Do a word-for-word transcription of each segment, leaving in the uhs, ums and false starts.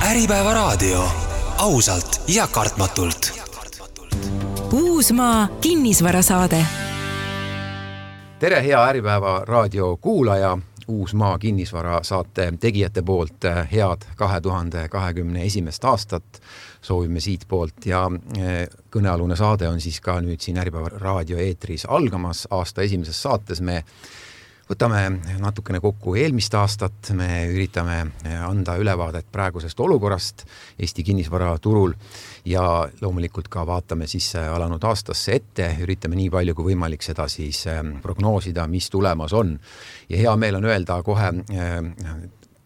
Äripäeva raadio. Ausalt ja kartmatult. Uusmaa kinnisvarasaade. Tere, hea Äripäeva raadio kuulaja. Uusmaa kinnisvara saate tegijate poolt head kahe tuhande kahekümne esimest aastat soovime siit poolt ja kõnealune saade on siis ka nüüd siin Äripäeva raadio eetris algamas. Aasta esimeses saates me võtame natukene kokku eelmist aastat, me üritame anda ülevaadet praegusest olukorrast Eesti kinnisvaraturul ja loomulikult ka vaatame siis alanud aastasse ette, üritame nii palju kui võimalik seda siis prognoosida, mis tulemas on. Ja hea meel on öelda kohe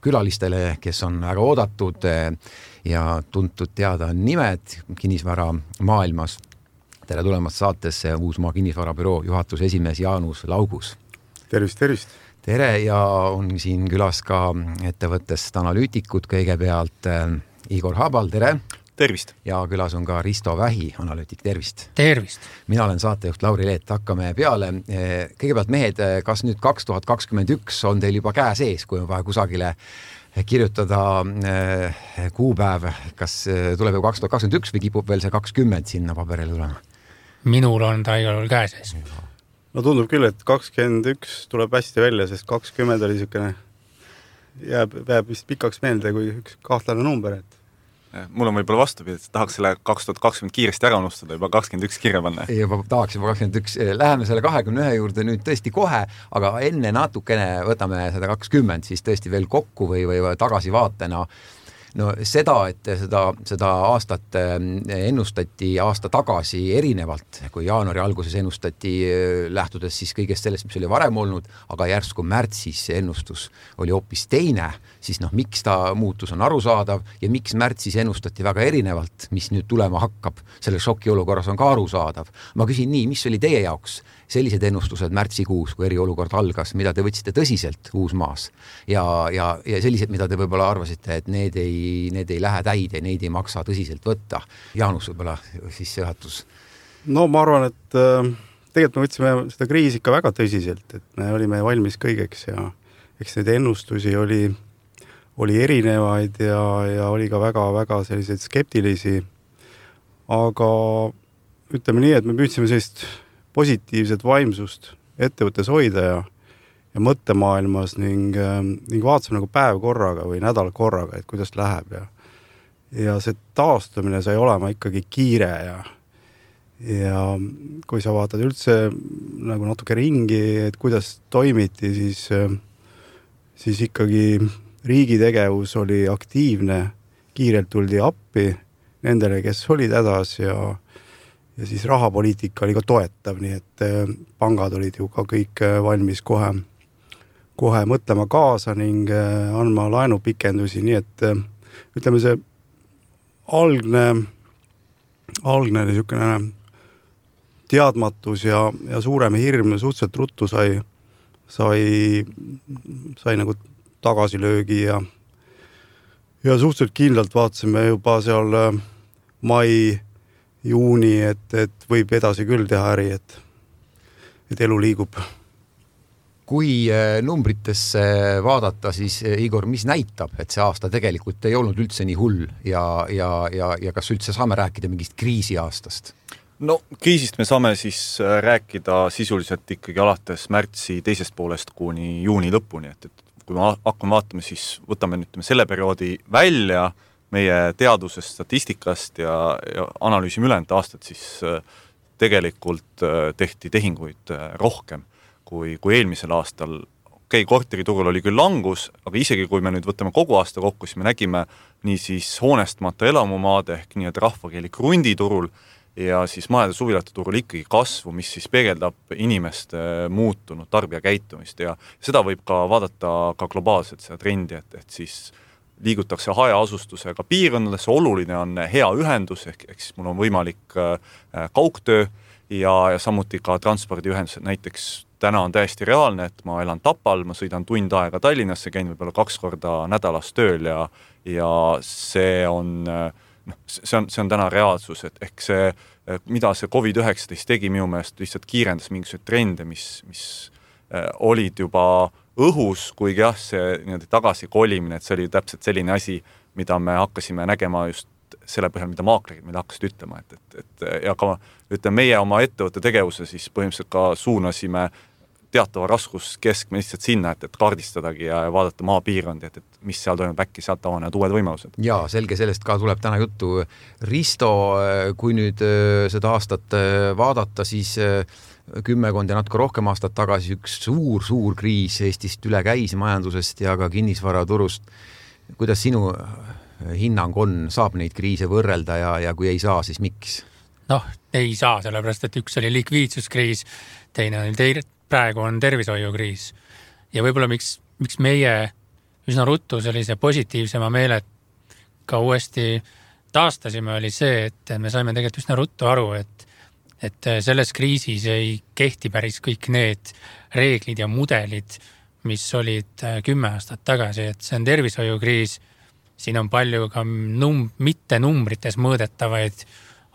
külalistele, kes on väga oodatud ja tuntud teada nimed kinnisvara maailmas. Tere tulemast saatesse Uusmaa kinnisvarabüroo juhatuse esimees Jaanus Laugus. Tervist, tervist. Tere ja on siin külas ka ettevõttest analüütikud kõigepealt Igor Habal, tere. Tervist. Ja külas on ka Risto Vähi, analüütik, tervist. Tervist. Mina olen saatejuht Lauri Leet, hakkame peale. Kõigepealt mehed, kas nüüd kaks tuhat kakskümmend üks on teil juba käe sees, kui on vaja kusagile kirjutada kuupäev, kas tuleb ju kaks tuhat kakskümmend üks või kipub veel see kakskümmend sinna paberile tulema? Minul on ta igal juhul käe sees. No tundub küll, et kakskümmend üks tuleb hästi välja, sest kakskümmend oli niisugune jääb, jääb vist pikaks meelde kui üks kahtlane number. Et... Mul on võib-olla vastupidi, et tahaks selle kaks tuhat kakskümmend kiiresti ära unustada, juba kakskümmend üks kirja panna. Juba tahaks juba kakskümmend üks. Läheme selle kahekümne ühe juurde nüüd tõesti kohe, aga enne natukene võtame seda kakskümmend siis tõesti veel kokku või, või tagasi vaatena. No seda, et seda, seda aastat ennustati aasta tagasi erinevalt, kui jaanuari alguses ennustati lähtudes siis kõigest sellest, mis oli varem olnud, aga järsku märtsis ennustus oli hoopis teine, siis noh, miks ta muutus on arusaadav ja miks märtsis ennustati väga erinevalt, mis nüüd tulema hakkab, selle šoki olukorras on ka arusaadav. Ma küsin nii, mis oli teie jaoks sellised ennustused märtsikuus, kui eriolukord algas, mida te võtsite tõsiselt Uusmaas ja, ja, ja sellised, mida te võib-olla arvasite, et need ei, need ei lähe täide, neid ei maksa tõsiselt võtta. Jaanus võib-olla siis juhatus. No ma arvan, et äh, tegelikult me võtsime seda kriisi ikka väga tõsiselt, et me olime valmis kõigeks ja eks neid ennustusi oli, oli erinevaid ja, ja oli ka väga-väga selliseid skeptilisi, aga ütleme nii, et me püüdsime sellist positiivset vaimsust ettevõttes hoida ja, ja mõttemaailmas ning, ning vaatasime nagu päev korraga või nädal korraga, et kuidas läheb ja, ja see taastumine sai olema ikkagi kiire ja, ja kui sa vaatad üldse nagu natuke ringi, et kuidas toimiti, siis, siis ikkagi riigi tegevus oli aktiivne, kiirelt tuldi appi nendele, kes olid hädas ja Ja siis rahapoliitika oli ka toetav, nii et pangad olid ju ka kõik valmis kohe, kohe mõtlema kaasa ning andma laenupikendusi, nii et ütleme see algne, algne niisugune teadmatus ja, ja suurem hirm suhteliselt ruttu sai, sai, sai nagu tagasilöögi ja, ja suhteliselt kindlalt vaatasime juba seal mai juuni, et, et võib edasi küll teha äri, et, et elu liigub. Kui numbritesse vaadata, siis Igor, mis näitab, et see aasta tegelikult ei olnud üldse nii hull ja, ja, ja, ja kas üldse saame rääkida mingist kriisi aastast? No kriisist me saame siis rääkida sisuliselt ikkagi alates märtsi teisest poolest kuni juuni lõpuni, et, et kui me hakkame vaatama, siis võtame nüüd selle perioodi välja meie teadusest, statistikast ja, ja analüüsime ülejäänud aastat, siis tegelikult tehti tehinguid rohkem kui, kui eelmisel aastal. Okei, korteriturul oli küll langus, aga isegi kui me nüüd võtame kogu aasta kokku, siis me nägime nii siis hoonestmata elamumaade ehk nii, et rahvakeeli krunditurul ja siis majade suvilate turul ikkagi kasvu, mis siis peegeldab inimeste muutunud tarbija käitumist ja seda võib ka vaadata ka globaalselt seda trendi, et, et siis liigutakse hajaasustusega piirkondadesse, oluline on hea ühendus, ehk, ehk siis mul on võimalik kaugtöö ja, ja samuti ka transpordiühendused. Näiteks täna on täiesti reaalne, et ma elan Tapal, ma sõidan tund aega Tallinnasse, käin võib-olla kaks korda nädalas tööl ja, ja see on, no, see on, see on täna reaalsus, et ehk see, mida see covid üheksateist tegi minu meelest lihtsalt kiirendas mingisuguseid trende, mis, mis olid juba õhus, kuigi jah, see tagasi kolimine, et see oli täpselt selline asi, mida me hakkasime nägema just selle põhjal, mida maaklerid meile hakkasid ütlema, et, et, et ja ka ütleme, meie oma ettevõtte tegevuse siis põhimõtteliselt ka suunasime teatava raskuskeskme lihtsalt sinna, et, et kaardistadagi ja vaadata maapiirkondi, et, et mis seal toimub, äkki sealt avanevad uued võimalused. Jaa, selge, sellest ka tuleb täna juttu. Risto, kui nüüd seda aastat vaadata, siis kümmekond ja natuke rohkem aastat tagasi üks suur, suur kriis Eestist üle käis majandusest ja ka kinnisvaraturust. Kuidas sinu hinnang on, saab neid kriise võrrelda ja, ja kui ei saa, siis miks? Noh, ei saa, sellepärast, et üks oli likviidsuskriis, teine oli teine, praegu on tervishoiukriis. Ja võib-olla miks, miks meie üsna ruttu sellise positiivsema meelet ka uuesti taastasime, oli see, et me saime tegelikult üsna ruttu aru, et, et selles kriisis ei kehti päris kõik need reeglid ja mudelid, mis olid kümme aastat tagasi, et see on tervishoiukriis. Siin on palju ka num- mitte numbrites mõõdetavaid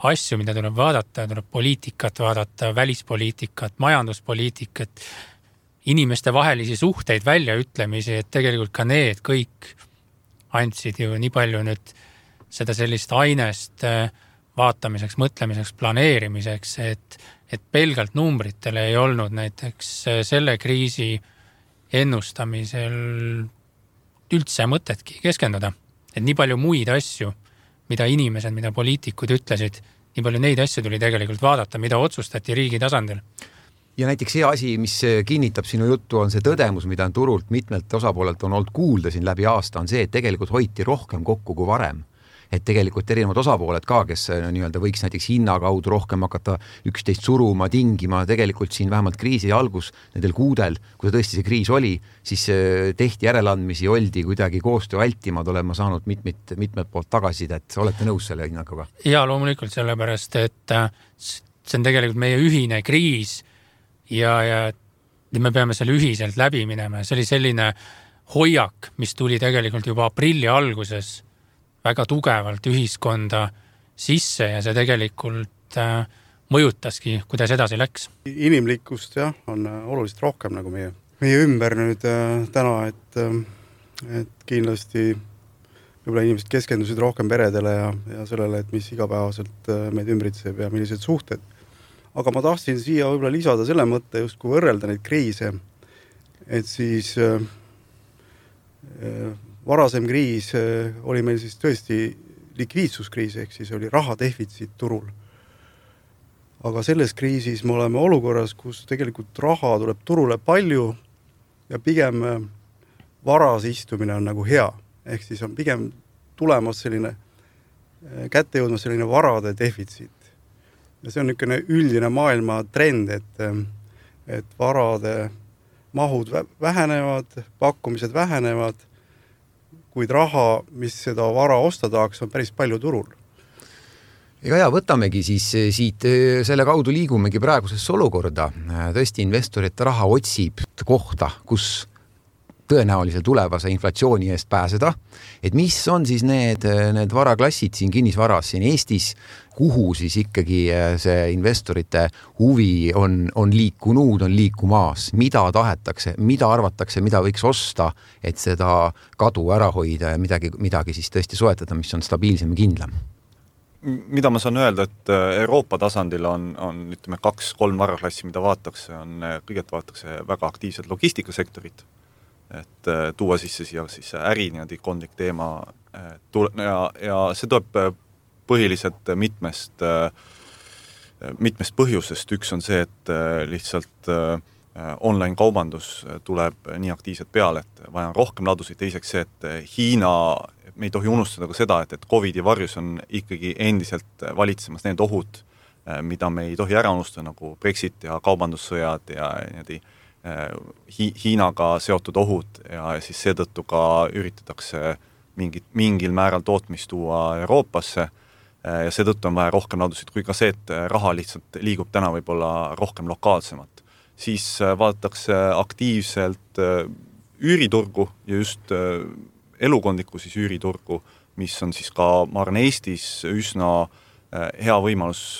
asju, mida tuleb vaadata, tuleb poliitikat vaadata, välispoliitikat, majanduspoliitikat, inimeste vahelisi suhteid väljaütlemisi, et tegelikult ka need kõik andsid ju nii palju nüüd seda sellist ainest vaatamiseks, mõtlemiseks, planeerimiseks, et, et pelgalt numbritele ei olnud näiteks selle kriisi ennustamisel üldse mõtetki keskenduda. Et nii palju muid asju, mida inimesed, mida poliitikud ütlesid, nii palju neid asju tuli tegelikult vaadata, mida otsustati riigi tasandil. Ja näiteks see asi, mis kinnitab sinu juttu, on see tõdemus, mida on turult mitmelt osapoolelt on olnud kuulda siin läbi aasta, on see, et tegelikult hoiti rohkem kokku kui varem. Et tegelikult erinevad osapooled ka, kes nii-öelda võiks näiteks hinna kaudu rohkem hakata üksteist suruma, tingima, tegelikult siin vähemalt kriisi algus nendel kuudel, kui tõesti see kriis oli, siis tehti järeleandmisi, oldi kuidagi koostöö vältimad, olema saanud mitmed, mitmed poolt tagasid, et olete nõus selle hinnakuga? Ja loomulikult sellepärast, et see on tegelikult meie ühine kriis ja, ja me peame selle ühiselt läbi minema. See oli selline hoiak, mis tuli tegelikult juba aprilli alguses väga tugevalt ühiskonda sisse ja see tegelikult äh, mõjutaski, kuidas edasi läks. Inimlikkust jah, on oluliselt rohkem nagu meie, meie ümber nüüd äh, täna, et, äh, et kindlasti võib-olla inimesed keskendusid rohkem peredele ja, ja sellele, et mis igapäevaselt äh, meid ümbritseb ja millised suhted. Aga ma tahtsin siia võib-olla lisada selle mõtte, just kui võrrelda neid kriise, et siis äh, äh, varasem kriis oli meil siis tõesti likviidsuskriis, ehk siis oli rahadefitsiit turul. Aga selles kriisis me oleme olukorras, kus tegelikult raha tuleb turule palju ja pigem varas istumine on nagu hea. Ehk siis on pigem tulemas selline, kätte jõudmas selline varade defitsiit. Ja see on niisugune üldine maailma trend, et, et varade mahud vähenevad, pakkumised vähenevad, kuid raha, mis seda vara osta tahaks, on päris palju turul. Ega ja võtamegi siis siit, selle kaudu liigumegi praegusesse olukorda. Tõesti investorid raha otsib kohta, kus tõenäoliselt tulevase inflatsiooni eest pääseda. Et mis on siis need, need varaklassid siin kinnisvaras siin Eestis, kuhu siis ikkagi see investorite huvi on, on liikunud, on liikumaas, mida tahetakse, mida arvatakse, mida võiks osta, et seda kadu ära hoida ja midagi, midagi siis tõesti soetada, mis on stabiilsem ja kindlam. Mida ma saan öelda, et Euroopa tasandil on, on ütleme, kaks-kolm varaklassi, mida vaadatakse, on kõigepealt vaadatakse väga aktiivsed logistikasektorit, et tuua sisse siia siis äri niimoodi kondlik teema ja, ja see tuleb põhiliselt mitmest, mitmest põhjusest. Üks on see, et lihtsalt online kaubandus tuleb nii aktiivselt peale, et vaja on rohkem ladusid. Teiseks see, et Hiina, me ei tohi unustada ka seda, et, et Covidi varjus on ikkagi endiselt valitsemas need ohud, mida me ei tohi ära unustada, nagu Brexit ja kaubandussõjad ja niimoodi Hi- Hiinaga seotud ohud ja siis seetõttu ka üritatakse mingit, mingil määral tootmist tuua Euroopasse ja seetõttu on vaja rohkem ladusid, kui ka see, et raha lihtsalt liigub täna võib-olla rohkem lokaalsemat. Siis vaadatakse aktiivselt üüriturgu ja just elukondlikku siis üüriturgu, mis on siis ka, ma arvan, Eestis üsna hea võimalus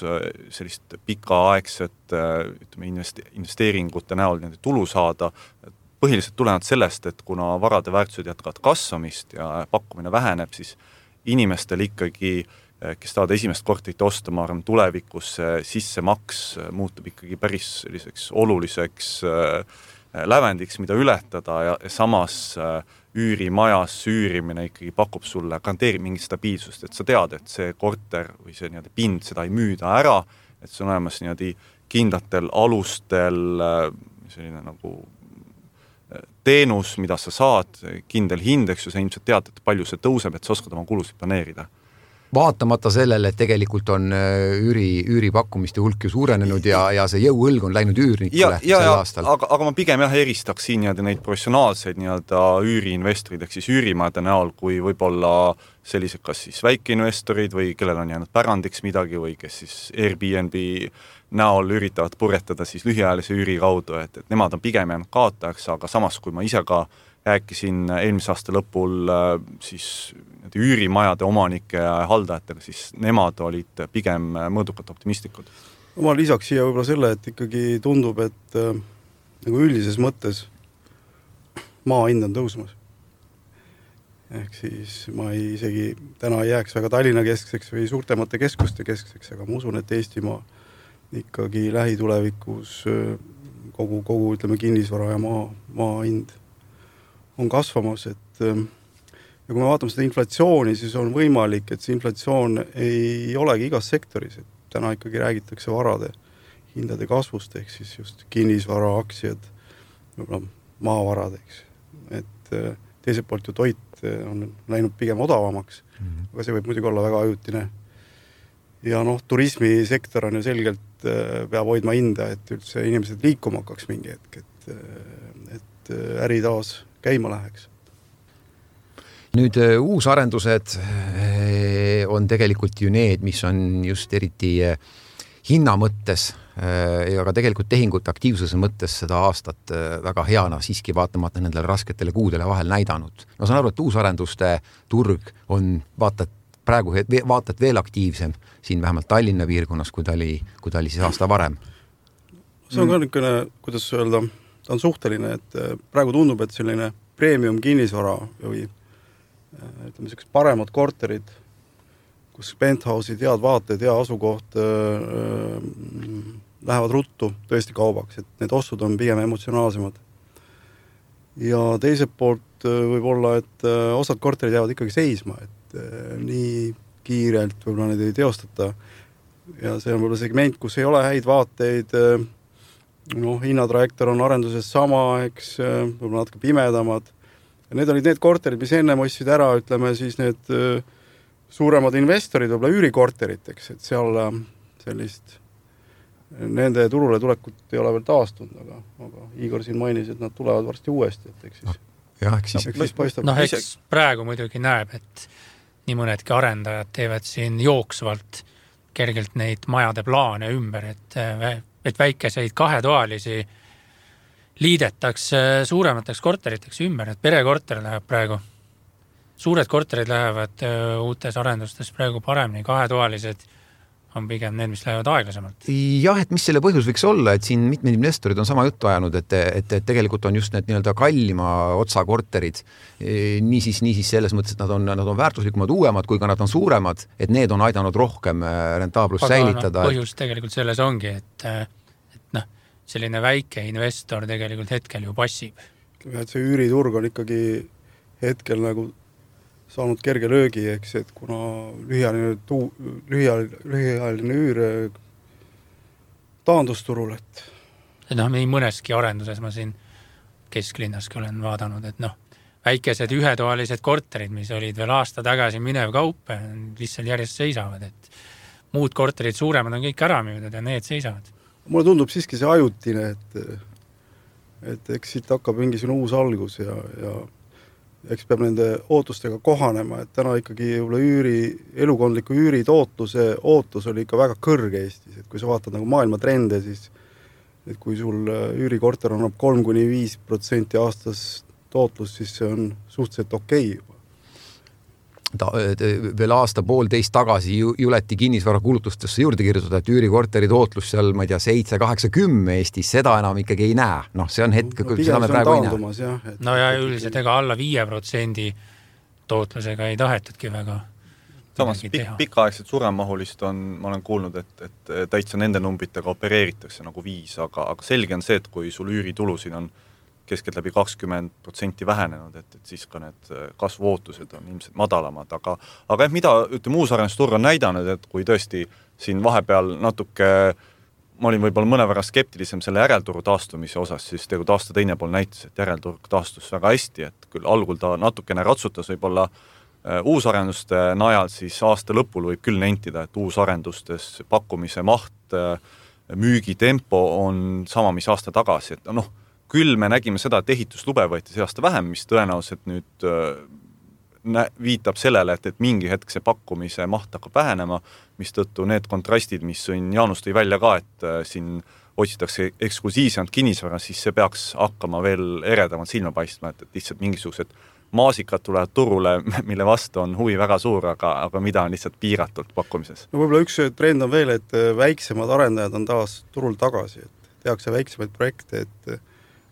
sellist pikaaegset ütleme, investeeringute näol tulu saada. Põhiliselt tulenevalt sellest, et kuna varade väärtused jätkavad kasvamist ja pakkumine väheneb, siis inimestel ikkagi, kes tahavad esimest korterit osta, ma arvan, tulevikus sissemaks muutub ikkagi päris selliseks oluliseks lävendiks, mida ületada ja samas üürimajas üürimine ikkagi pakub sulle, garanteerib mingit stabiilsust, et sa tead, et see korter või see nii-öelda pind, seda ei müüda ära, et see on olemas nii-öelda kindlatel alustel selline nagu teenus, mida sa saad, kindel hind, eks ju, sa ilmselt tead, et palju see tõuseb, et sa oskad oma kulusid planeerida. Vaatamata sellele, et tegelikult on üüri, üüripakkumiste hulk ju suurenenud ja, ja see jõuõlg on läinud üürnikule ja, sel aastal. Aga, aga ma pigem jah eristaks siin nii-öelda neid professionaalseid nii-öelda üüriinvestorid, ehk siis üürimajade näol, kui võib-olla sellised kas siis väikeinvestorid või kellel on jäänud pärandiks midagi või kes siis Airbnb näol üritavad purjetada siis lühiajalise üüri kaudu, et, et nemad on pigem jäänud kaotajaks, aga samas kui ma ise ka rääkisin eelmise aasta lõpul siis üürimajade omanike ja haldajatega, siis nemad olid pigem mõõdukalt optimistlikud. Ma lisaks siia võib-olla selle, et ikkagi tundub, et äh, nagu üldises mõttes maa hind on tõusmas. Ehk siis ma ei, isegi täna ei jääks väga Tallinna keskseks või suurtemate keskuste keskseks, aga ma usun, et Eestimaa ikkagi lähitulevikus kogu, kogu ütleme, kinnisvara ja maa, maa hind on kasvamas, et ja kui me vaatame seda inflatsiooni, siis on võimalik, et see inflatsioon ei olegi igas sektoris, et täna ikkagi räägitakse varade hindade kasvust, ehk siis just kinnisvara, aktsiad, maavarad, eks. Et teiselt poolt ju toit on läinud pigem odavamaks, mm-hmm. aga see võib muidugi olla väga ajutine. Ja noh, turismisektor on ju selgelt peab hoidma hinda, et üldse inimesed liikuma hakkaks mingi hetk, et, et äri taas käima läheks. Nüüd uusarendused on tegelikult ju need, mis on just eriti hinna mõttes ja ka tegelikult tehingute aktiivsuse mõttes seda aastat väga heana siiski vaatamata nendele rasketele kuudele vahel näidanud. Ma saan aru, et uusarenduste turg on vaatad praegu vaatad veel aktiivsem siin vähemalt Tallinna piirkonnas, kui ta oli, kui ta oli siis aasta varem. See on ka niisugune, kuidas öelda, ta on suhteline, et praegu tundub, et selline premium kinnisvara või ütleme, sellised paremad korterid, kus penthouse'id, head vaated, hea asukoht äh, lähevad ruttu tõesti kaubaks, et need ostud on pigem emotsionaalsemad. Ja teiselt poolt võib olla, et osad korterid jäävad ikkagi seisma, et nii kiirelt võib-olla need ei teostata ja see on võib-olla segment, kus ei ole häid vaateid, noh, hinnatrajektor on arenduses sama, eks, võib-olla natuke pimedamad ja need olid need korterid, mis enne ostsid ära, ütleme siis need suuremad investorid, võib-olla üürikorterid, eks, et seal sellist nende turule tulekut ei ole veel taastunud, aga, aga Igor siin mainis, et nad tulevad varsti uuesti, et eks siis, ja, eks siis, eks siis paistab. Noh, eks praegu muidugi näeb, et nii mõnedki arendajad teevad siin jooksvalt kergelt neid majade plaane ümber, et, et väikeseid kahetoalisi liidetakse suuremateks korteriteks ümber, et perekorter läheb praegu. Suured korterid lähevad uutes arendustes praegu paremini, kahetoalised on pigem need, mis lähevad aeglasemalt. Jah, et mis selle põhjus võiks olla, et siin mitmed investorid on sama juttu ajanud, et, et, et tegelikult on just need nii-öelda kallima otsa korterid, niisiis, niisiis selles mõttes, et nad on, nad on väärtuslikumad, uuemad, kui ka nad on suuremad, et need on aidanud rohkem rentaablust säilitada. No, põhjus tegelikult selles ongi, et, et noh, selline väike investor tegelikult hetkel ju passib. Et see üüriturg on ikkagi hetkel nagu saanud kerge löögi, eks, et kuna lühiajaline, tuu, lühiajaline, lühiajaline üür taandusturul, et noh, nii mõneski arenduses ma siin kesklinnaski olen vaadanud, et noh, väikesed ühetoalised korterid, mis olid veel aasta tagasi minev kaup, lihtsalt järjest seisavad, et muud korterid suuremad on kõik ära müüdud ja need seisavad. Mulle tundub siiski see ajutine, et, et eks siit hakkab mingisugune uus algus ja, ja eks peab nende ootustega kohanema, et täna ikkagi üüri, elukondliku üüri tootluse ootus oli ikka väga kõrge Eestis, et kui sa vaatad nagu maailma trende, siis et kui sul üürikorter annab kolm kuni viis protsenti aastas tootlus, siis see on suhteliselt okei juba. Ta, veel aasta poolteist tagasi juleti kinnisvara kulutustesse juurde kirjutada, et üürikorteri tootlus seal, ma ei tea, seitse, kaheksa, kümme Eestis, seda enam ikkagi ei näe. Noh, see on hetk, no, seda me praegu ei näe. Jah, et, no ja üldiselt ega alla viie protsendi tootlusega ei tahetudki väga samas pik- pikaaegselt suremahulist on, ma olen kuulnud, et, et täitsa nende numbritega opereeritakse nagu viis, aga, aga selge on see, et kui sul üüritulusid on keskelt läbi kakskümmend protsenti vähenenud, et, et siis ka need kasvuootused on ilmselt madalamad, aga, aga jah, mida ütleme, uusarendusturg on näidanud, et kui tõesti siin vahepeal natuke, ma olin võib-olla mõnevõrra skeptilisem selle järelturu taastumise osas, siis tegelikult aasta teine pool näitas, et järelturg taastus väga hästi, et küll algul ta natukene ratsutas võib-olla uusarenduste najal, siis aasta lõpul võib küll nentida, et uusarendustes pakkumise maht, müügitempo on sama, mis aasta tagasi, et noh, küll me nägime seda, et ehituslube võeti see aasta vähem, mis tõenäoliselt nüüd nä- viitab sellele, et, et mingi hetk see pakkumise maht hakkab vähenema, mis tõttu need kontrastid, mis siin Jaanus tõi välja ka, et siin otsitakse eksklusiivsemalt kinnisvara, siis see peaks hakkama veel eredamalt silma paistma, et, et lihtsalt mingisugused maasikad tulevad turule, mille vastu on huvi väga suur, aga, aga mida on lihtsalt piiratult pakkumises. No võib-olla üks trend on veel, et väiksemad arendajad on taas turul tagasi, et tehakse väiksemaid projekte, et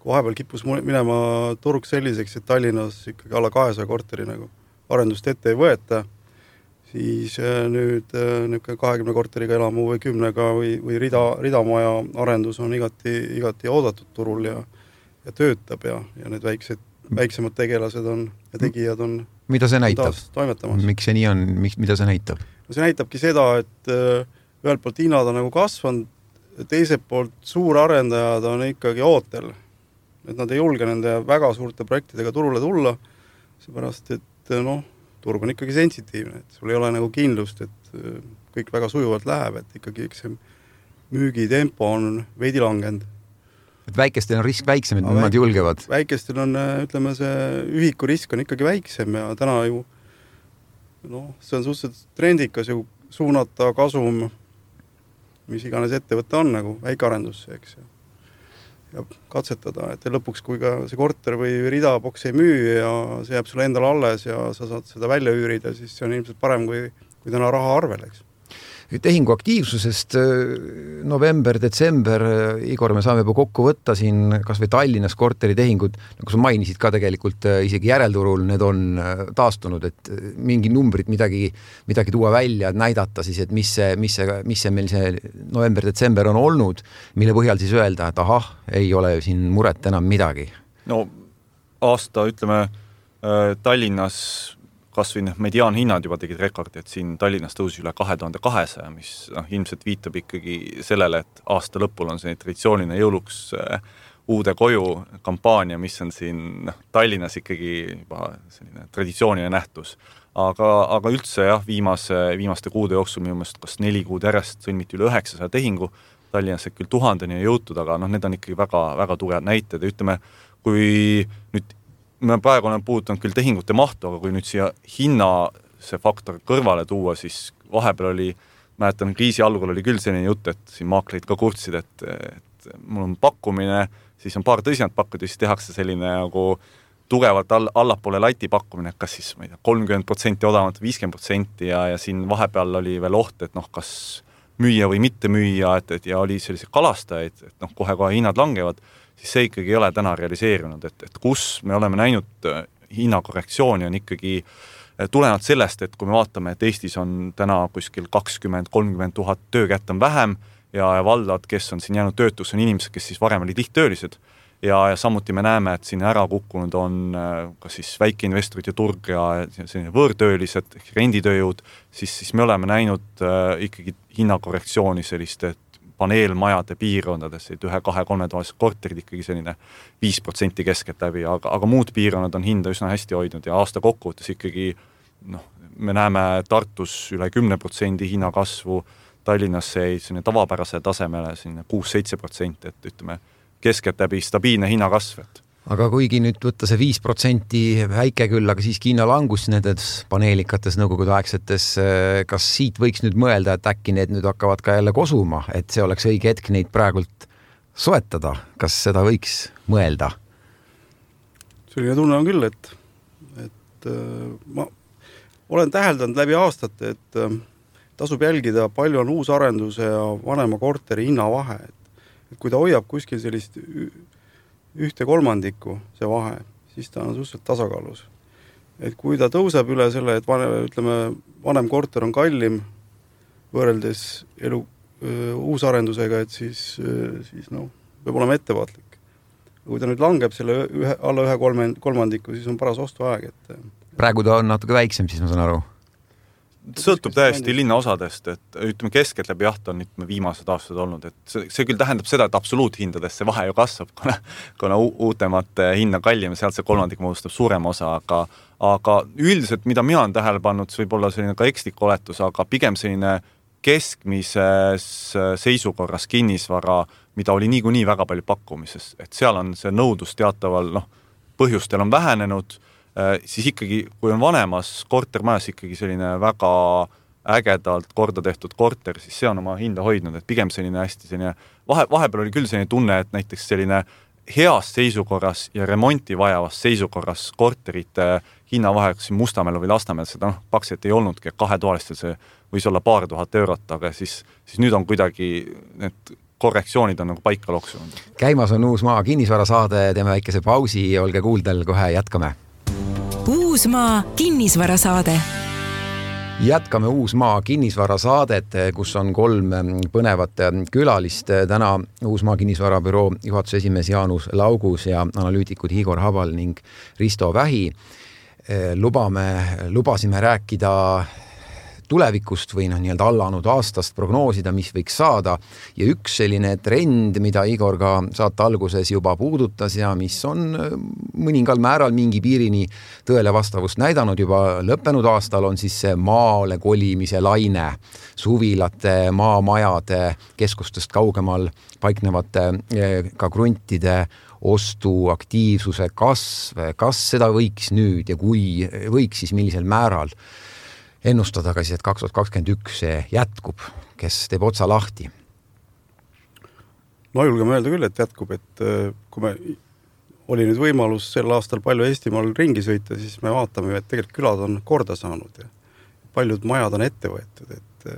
kui vahepeal kippus minema turg selliseks, et Tallinnas ikkagi alla kahesaja korteri nagu arendust ette ei võeta, siis nüüd niisugune kahekümne korteriga elamu või kümnega või, või rida, ridamaja arendus on igati, igati oodatud turul ja, ja töötab ja, ja need väiksed väiksemad tegelased on ja tegijad on mida see näitab? Toimetamas. Miks see nii on? Miks, mida see näitab? See näitabki seda, et ühelt poolt hinnad on nagu kasvanud, teiselt poolt suurarendajad on ikkagi ootel. Et nad ei julge nende väga suurte projektidega turule tulla, seepärast, et noh, turg on ikkagi sensitiivne, et sul ei ole nagu kindlust, et kõik väga sujuvalt läheb, et ikkagi eks see müügitempo on veidi langenud. Et väikestel on risk väiksem, et no, nad julgevad. Väikestel on, ütleme, see ühiku risk on ikkagi väiksem ja täna ju noh, see on suhteliselt trendikas ju suunata kasum, mis iganes ettevõte on nagu väikearendusse, eks. Ja katsetada, et lõpuks, kui ka see korter või ridaboks ei müü ja see jääb sulle endale alles ja sa saad seda välja üürida, siis see on ilmselt parem, kui, kui täna raha arvel, eks. Tehingu aktiivsusest november, detsember, Igor, me saame juba kokku võtta siin kas või Tallinnas korteritehingud, nagu sa mainisid ka tegelikult isegi järelturul, need on taastunud, et mingi numbrid midagi, midagi tuua välja, näidata siis, et mis see, mis see, mis see meil see november, detsember on olnud, mille põhjal siis öelda, et ahah, ei ole siin muret enam midagi. No aasta, ütleme, Tallinnas kas või mediaanhinnad juba tegid rekordi, et siin Tallinnas tõusis üle kahe tuhande kahesaja, mis noh, ilmselt viitab ikkagi sellele, et aasta lõpul on see traditsiooniline jõuluks uude koju kampaania, mis on siin noh, Tallinnas ikkagi juba selline traditsiooniline nähtus. Aga, aga üldse jah, viimase, viimaste kuude jooksul minu meelest kas neli kuud järjest sõlmiti üle üheksasaja tehingu, Tallinnas küll tuhandeni jõutud, aga noh, need on ikkagi väga, väga tugevad näited ja ütleme, kui nüüd me praegu olen puudutanud küll tehingute mahtu, aga kui nüüd siia hinna see faktor kõrvale tuua, siis vahepeal oli, mäletan, kriisi algul oli küll selline jutt, et siin maakleid ka kurtsid, et, et mul on pakkumine, siis on paar tõsiselt pakkuda, siis tehakse selline nagu tugevalt all, allapoole lati pakkumine, et kas siis, ma ei tea, kolmkümmend protsenti odavamalt, viiskümmend protsenti ja, ja siin vahepeal oli veel oht, et noh, kas müüa või mitte müüa, et, et ja oli sellised kalastajaid, et noh, kohe-kohe hinnad langevad, siis see ikkagi ei ole täna realiseerunud, et, et kus me oleme näinud hinnakorrektsiooni on ikkagi tulenevalt sellest, et kui me vaatame, et Eestis on täna kuskil kakskümmend kolmkümmend tuhat töökätt on vähem ja valdad, kes on siin jäänud töötus, on inimesed, kes siis varem olid lihttöölised ja, ja samuti me näeme, et siin ära kukkunud on ka siis väikeinvestorite turg ja selline võõrtöölised, renditööjõud, siis, siis me oleme näinud ikkagi hinnakorrektsiooni selliste paneelmajade piirkondades, et ühe, kahe, kolme toalised korterid ikkagi selline viis protsenti keskelt läbi, aga, aga muud piirkonnad on hinda üsna hästi hoidnud ja aasta kokkuvõttes ikkagi noh, me näeme Tartus üle kümne protsendi hinnakasvu, Tallinnas see selline tavapärase tasemele selline kuus-seitse protsenti, et ütleme keskelt läbi stabiilne hinnakasv, et aga kuigi nüüd võtta see viis protsenti väike küll, aga siiski hinnalangus nendes paneelikates nõukogude aegsetes, kas siit võiks nüüd mõelda, et äkki need nüüd hakkavad ka jälle kosuma, et see oleks õige hetk neid praegult soetada, kas seda võiks mõelda? Selline tunne on küll, et, et ma olen täheldanud läbi aastate, et tasub jälgida, palju on uusarenduse ja vanema korteri hinnavahe, et, et kui ta hoiab kuskil sellist ühte kolmandikku see vahe, siis ta on suhteliselt tasakaalus. Et kui ta tõuseb üle selle, et vane, ütleme, vanem korter on kallim võrreldes elu öö, uusarendusega, et siis, siis no, peab olema ettevaatlik. Kui ta nüüd langeb selle ühe, alla ühe kolme, kolmandiku, siis on paras ostuaeg. Et... Praegu ta on natuke väiksem, siis ma saan aru. Sõltub täiesti linnaosadest, et ütleme keskelt läbi jaht on ütleme, viimased aastad olnud, et see, see küll tähendab seda, et absoluuthindades see vahe ju kasvab, kuna, kuna uutemate hinna kallim ja sealt see kolmandik moodustab suurem osa, aga, aga üldiselt, mida mina olen tähele pannud, see võib olla selline ka ekslik oletus, aga pigem selline keskmises seisukorras kinnisvara, mida oli niikuinii väga palju pakkumises, et seal on see nõudlus teataval noh, põhjustel on vähenenud, siis ikkagi, kui on vanemas kortermajas ikkagi selline väga ägedalt korda tehtud korter, siis see on oma hinda hoidnud, et pigem selline hästi selline, vahe, vahepeal oli küll selline tunne, et näiteks selline heas seisukorras ja remonti vajavas seisukorras korterite hinnavaheks Mustamäel või Lasnamäel, seda noh, pakselt ei olnudki, kahetoalistel see võis olla paar tuhat eurot, aga siis, siis nüüd on kuidagi need korrektsioonid on nagu paika loksunud. Käimas on Uusmaa kinnisvarasaade, teeme väikese pausi, olge kuuldel, kohe jätkame. Uusmaa kinnisvarasaade. Jätkame Uusmaa kinnisvarasaadet, kus on kolm põnevat külalist. Täna Uusmaa kinnisvarabüroo juhatuse esimees Jaanus Laugus ja analüütikud Igor Habal ning Risto Vähi. Lubame, lubasime rääkida tulevikust või noh, nii-öelda allanud aastast prognoosida, mis võiks saada. Ja üks selline trend, mida Igor ka saate alguses juba puudutas ja mis on mõningal määral mingi piirini tõele vastavust näidanud juba lõppenud aastal, on siis see maale kolimise laine, suvilate, maamajade, keskustest kaugemal paiknevate ka kruntide ostuaktiivsuse kasv. Kas seda võiks nüüd ja kui võiks, siis millisel määral ennustada ka siis, et kaks tuhat kakskümmend üks see jätkub, kes teeb otsa lahti? No julgeme öelda küll, et jätkub, et kui me oli nüüd võimalus sel aastal palju Eestimaal ringi sõita, siis me vaatame, et tegelikult külad on korda saanud ja paljud majad on ette võetud, et,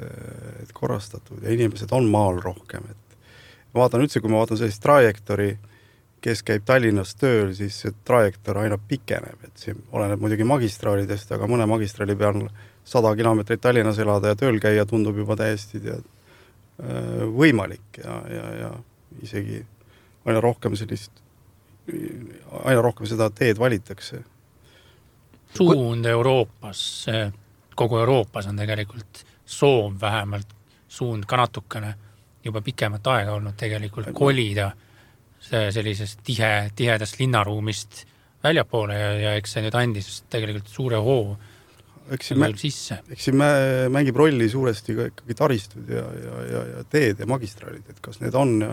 et korrastatud ja inimesed on maal rohkem. Et ma vaatan üldse, kui ma vaatan sellist trajektori, kes käib Tallinnas tööl, siis see trajektor aina pikeneb, et see oleneb muidugi magistraalidest, aga mõne magistraali peal sada kilomeetrit Tallinnas elada ja tööl käia tundub juba täiesti tead, võimalik ja, ja, ja isegi aina rohkem sellist, aina rohkem seda teed valitakse. Suund Euroopas, kogu Euroopas on tegelikult soov vähemalt suund ka natukene juba pikemat aega olnud tegelikult kolida sellisest tihe, tihedast linnaruumist väljapoole ja, ja eks see nüüd andis tegelikult suure hoo Eks siin, mä- eks siin mä- mängib rolli suuresti ka ikkagi taristud ja, ja, ja, ja teed ja magistraalid, et kas need on ja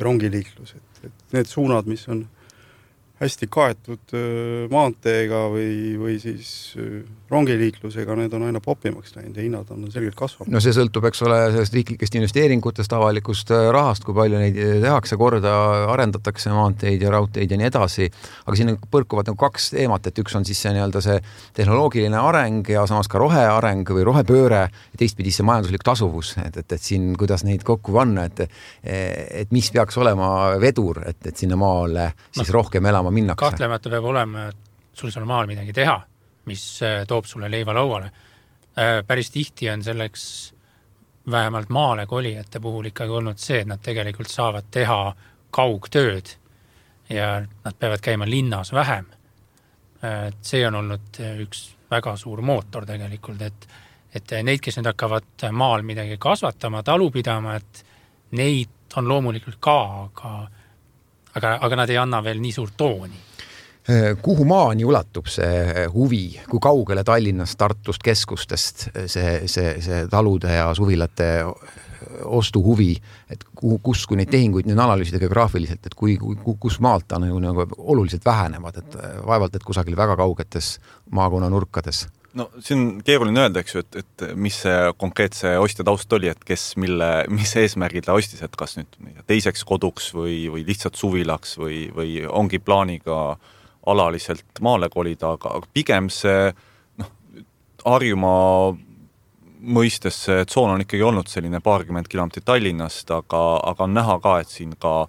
rongiliiklus, et, et need suunad, mis on hästi kaetud maanteega või, või siis rongiliiklusega, need on aina popimaks läinud ja hinnad on selgelt kasvanud. No see sõltub, eks ole, sellest riiklikest investeeringutest, avalikust rahast, kui palju neid tehakse korda, arendatakse maanteid ja raudteid ja nii edasi, aga siin põrkuvad nagu kaks teemat, et üks on siis see, nii-öelda see tehnoloogiline areng ja samas ka roheareng või rohepööre ja teistpidi see majanduslik tasuvus, et, et, et siin kuidas neid kokku panna, et, et mis peaks olema vedur, et, et sinna maale siis no. rohkem elama minnakse. Kahtlemata peab olema sul seal maal midagi teha, mis toob sulle leiva lauale. Päris tihti on selleks vähemalt maale kolijate puhul ikkagi olnud see, et nad tegelikult saavad teha kaugtööd ja nad peavad käima linnas vähem. See on olnud üks väga suur mootor tegelikult, et, et neid, kes nüüd hakkavad maal midagi kasvatama, talu pidama, et neid on loomulikult ka, aga Aga, aga nad ei anna veel nii suurt tooni. Kuhu maani ulatub see huvi, kui kaugele Tallinnast, Tartust, keskustest see, see, see talude ja suvilate ostu huvi, et kus, kui neid tehinguid nüüd analüüsida geograafiliselt, et kui, kui, kus maalt ta nagu, nagu oluliselt vähenevad, et vaevalt, et kusagil väga kaugetes maakonna nurkades. No see on keeruline öelda, eks ju, et, et mis see konkreetse ostja taust oli, et kes mille, mis eesmärgil ta ostis, et kas nüüd teiseks koduks või, või lihtsalt suvilaks või, või ongi plaaniga alaliselt maale kolida, aga pigem see noh, Harjumaa mõistes see tsoon on ikkagi olnud selline paarkümmend kilomeetrit Tallinnast, aga, aga on näha ka, et siin ka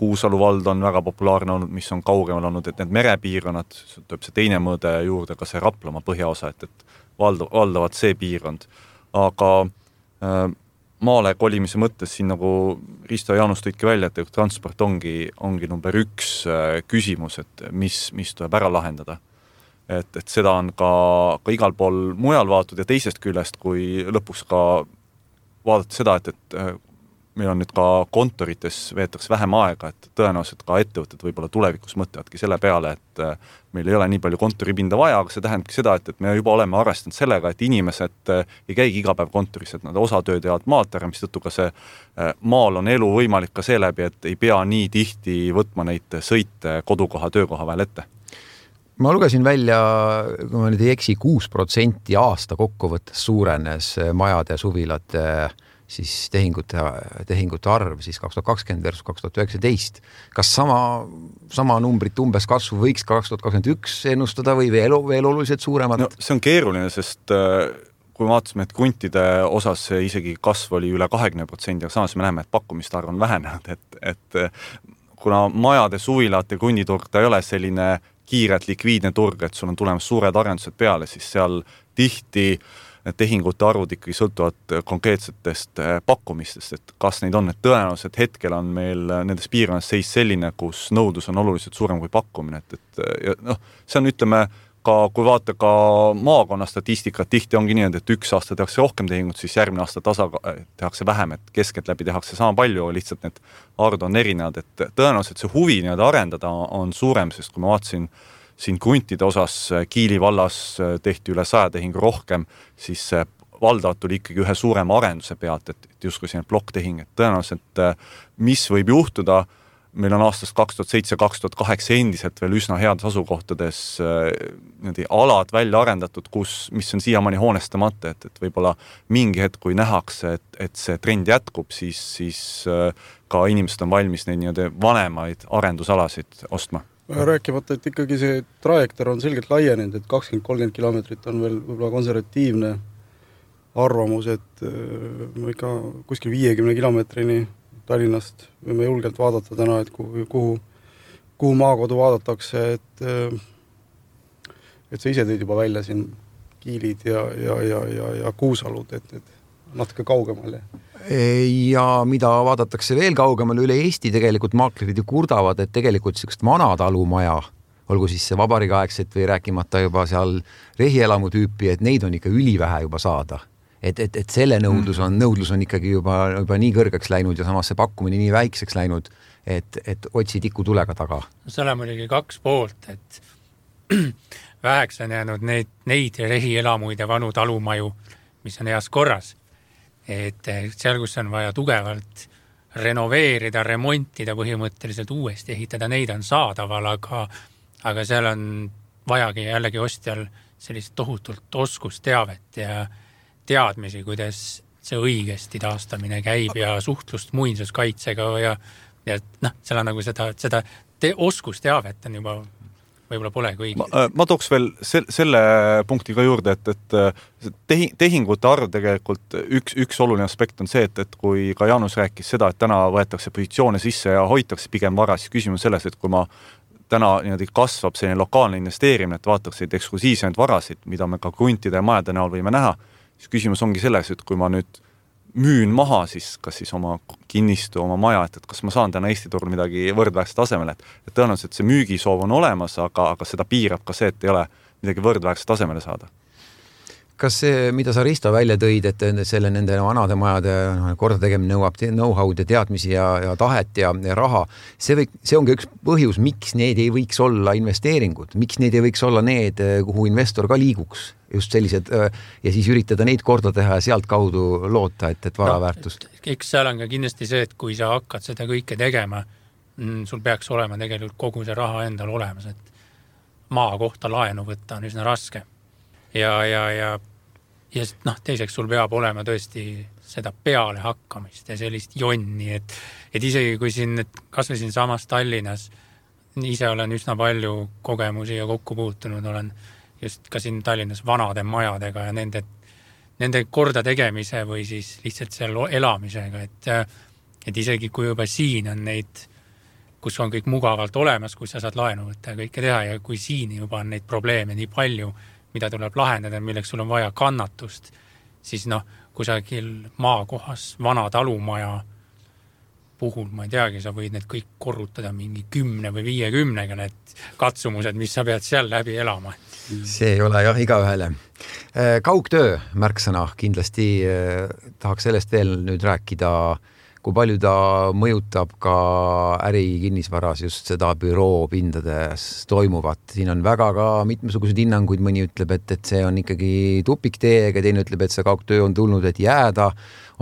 Kuusalu vald on väga populaarne olnud, mis on kaugemal olnud, et need merepiirkonnad, tuleb see teine mõõde juurde, ka see Raplamaa põhjaosa, et, et valda, valdavalt see piirkond. Aga äh, maale kolimise mõttes siin nagu Risto ja Jaanus tõidki välja, et transport ongi, ongi number üks äh, küsimus, et mis, mis tuleb ära lahendada. Et, et seda on ka, ka igal pool mujal vaadatud ja teisest küljest, kui lõpuks ka vaadata seda, et, et äh, meil on nüüd ka kontorites veetakse vähem aega, et tõenäoliselt ka ettevõtted võib-olla tulevikus mõtlevadki selle peale, et meil ei ole nii palju kontoripinda vaja, aga see tähendabki seda, et, et me juba oleme arvestanud sellega, et inimesed ei käigi iga päev kontoris, et nad osa tööd jäävad maalt ära, mis tõttu ka see maal on elu võimalik ka seeläbi, et ei pea nii tihti võtma neid sõite kodukoha, töökoha vahel ette. Ma lugesin välja, kui ma nüüd ei eksi, kuus protsenti aasta kokkuvõttes suurenes majade suvilate siis tehingute, tehingute arv siis kaks tuhat kakskümmend versus kaks tuhat üheksateist. Kas sama, sama numbrit umbes kasvu võiks kaks tuhat kakskümmend üks ennustada või veel, veel oluliselt suuremad? No, see on keeruline, sest kui vaatasime, et kuntide osas isegi kasv oli üle kahekümne protsendi, aga samas me näeme, et pakkumiste arv on vähenenud, et, et kuna majade suvilate kunditurg ta ei ole selline kiiret likviidne turg, et sul on tulemas suured arendused peale, siis seal tihti need tehingute arvud ikkagi sõltuvad konkreetsetest pakkumistest, et kas neid on, et tõenäoliselt hetkel on meil nendes piirkonnas seis selline, kus nõudlus on oluliselt suurem kui pakkumine, et, et noh, see on, ütleme, ka kui vaata ka maakonna statistikat, tihti ongi nii, et üks aasta tehakse rohkem tehingut, siis järgmine aasta tasa tehakse vähem, et keskelt läbi tehakse sama palju, lihtsalt need arvud on erinevad, et tõenäoliselt see huvi nii-öelda arendada on suurem, sest kui ma vaatasin siin kuntide osas Kiili vallas tehti üle saja tehingu rohkem, siis valdavalt tuli ikkagi ühe suurema arenduse pealt, et, et justkui selline plokktehing, et tõenäoliselt mis võib juhtuda, meil on aastast kaks tuhat seitse kaks tuhat kaheksa endiselt veel üsna heades asukohtades niimoodi alad välja arendatud, kus, mis on siiamaani hoonestamata, et, et võib-olla mingi hetk, kui nähakse, et, et see trend jätkub, siis, siis ka inimesed on valmis neid niimoodi vanemaid arendusalasid ostma. Rääkimata, et ikkagi see trajektor on selgelt laienenud, et kakskümmend kolmkümmend kilomeetrit on veel võib-olla konservatiivne arvamus, et me ikka kuskil viiekümne kilomeetrini Tallinnast võime julgelt vaadata täna, et kuhu, kuhu, kuhu maakodu vaadatakse, et, et sa ise tõid juba välja siin Kiilid ja, ja, ja, ja, ja Kuusalud, et, et natuke kaugemal. Ja mida vaadatakse veel kaugemal üle Eesti, tegelikult maaklerid ju kurdavad, et tegelikult sellist vanatalumaja, olgu siis see vabariigiaegset või rääkimata juba seal rehielamu tüüpi, et neid on ikka ülivähe juba saada. Et, et, et selle nõudlus on, nõudlus on ikkagi juba, juba nii kõrgeks läinud ja samas see pakkumine nii väikseks läinud, et, et otsi tiku tulega taga. Seal on muidugi kaks poolt, et väheks on jäänud neid, neid rehielamuid ja vanu talumaju, mis on heas korras. Et seal, kus on vaja tugevalt renoveerida, remontida, põhimõtteliselt uuesti ehitada, neid on saadaval, aga, aga seal on vajagi jällegi ostjal sellist tohutult oskusteavet ja teadmisi, kuidas see õigesti taastamine käib ja suhtlust muinsuskaitsega ja, ja noh, seal on nagu seda, seda te, oskusteavet on juba võib-olla polegi õige. Ma, ma tooks veel se- selle punkti ka juurde, et, et tehi, tehingute arv tegelikult üks, üks oluline aspekt on see, et, et kui ka Jaanus rääkis seda, et täna võetakse positsioone sisse ja hoitakse pigem vara, siis küsimus selles, et kui ma täna niimoodi kasvab selline lokaalne investeerimine, et vaataks neid eksklusiivseid varasid, mida me ka kuntide ja majade näol võime näha, siis küsimus ongi selles, et kui ma nüüd müün maha, siis kas siis oma kinnistu, oma maja, et, et kas ma saan täna Eesti turul midagi võrdväärset tasemele, et, et tõenäoliselt see müügisoov on olemas, aga, aga seda piirab ka see, et ei ole midagi võrdväärset tasemele saada. Kas see, mida sa Risto välja tõid, et selle nende vanade majade korda tegemine nõuab know-how'd ja teadmisi ja, ja tahet ja, ja raha, see, või, see ongi üks põhjus, miks need ei võiks olla investeeringud, miks need ei võiks olla need, kuhu investor ka liiguks, just sellised, ja siis üritada neid korda teha ja sealt kaudu loota, et, et varaväärtus. No, eks seal on ka kindlasti see, et kui sa hakkad seda kõike tegema, sul peaks olema tegelikult kogu see raha endal olemas, et maa kohta laenu võtta on üsna raske. Ja, ja, ja, ja noh, teiseks sul peab olema tõesti seda peale hakkamist ja sellist jonni, et, et isegi kui siin, et kas või siin samas Tallinnas, ise olen üsna palju kogemusi ja kokku puutunud, olen just ka siin Tallinnas vanade majadega ja nende, nende korda tegemise või siis lihtsalt seal elamisega, et, et isegi kui juba siin on neid, kus on kõik mugavalt olemas, kus sa saad laenu võtta ja kõike teha ja kui siin juba on neid probleeme nii palju, mida tuleb lahendada, milleks sul on vaja kannatust, siis noh, kusagil maakohas vana talumaja puhul, ma ei teagi, sa võid need kõik korrutada mingi kümne või viiekümnega, need katsumused, mis sa pead seal läbi elama. See ei ole jah igaühele. Kaugtöö märksõna, kindlasti tahaks sellest veel nüüd rääkida, kui palju ta mõjutab ka ärikinnisvaras just seda büroo pindades toimuvat. Siin on väga ka mitmesuguseid hinnanguid, mõni ütleb, et, et see on ikkagi tupikteega, teine ütleb, et see kaugtöö on tulnud, et jääda,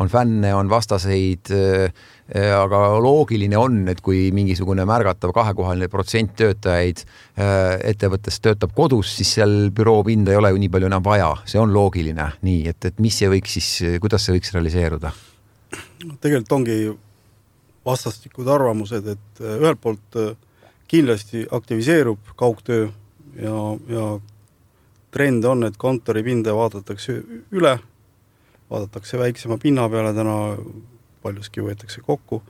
on fänne, on vastaseid, aga loogiline on, et kui mingisugune märgatav kahekohaline protsent töötajaid ettevõttes töötab kodus, siis seal büroo pinda ei ole ju nii palju enam vaja. See on loogiline. Nii, et, et mis see võiks siis, kuidas see võiks realiseeruda? Tegelikult ongi vastastikud arvamused, et ühelt poolt kindlasti aktiviseerub kaugtöö ja, ja trend on, et kontoripinda vaadatakse üle, vaadatakse väiksema pinna peale, täna paljuski võetakse kokku,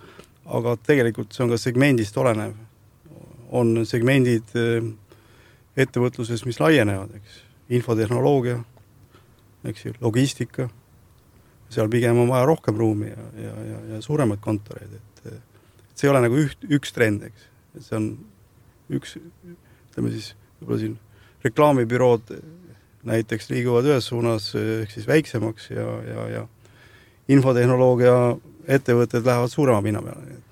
aga tegelikult see on ka segmendist olenev. On segmendid ettevõtluses, mis laienevad, eks? Infotehnoloogia, eks ju, logistika, seal pigem on vaja rohkem ruumi ja, ja, ja, ja suuremaid kontoreid, et, et see ei ole nagu üht, üks trend, eks. See on üks, ütleme siis, võib-olla siin reklaamibürood näiteks liiguvad ühes suunas ehk siis väiksemaks ja, ja, ja infotehnoloogia ettevõtted lähevad suurema pinna peale.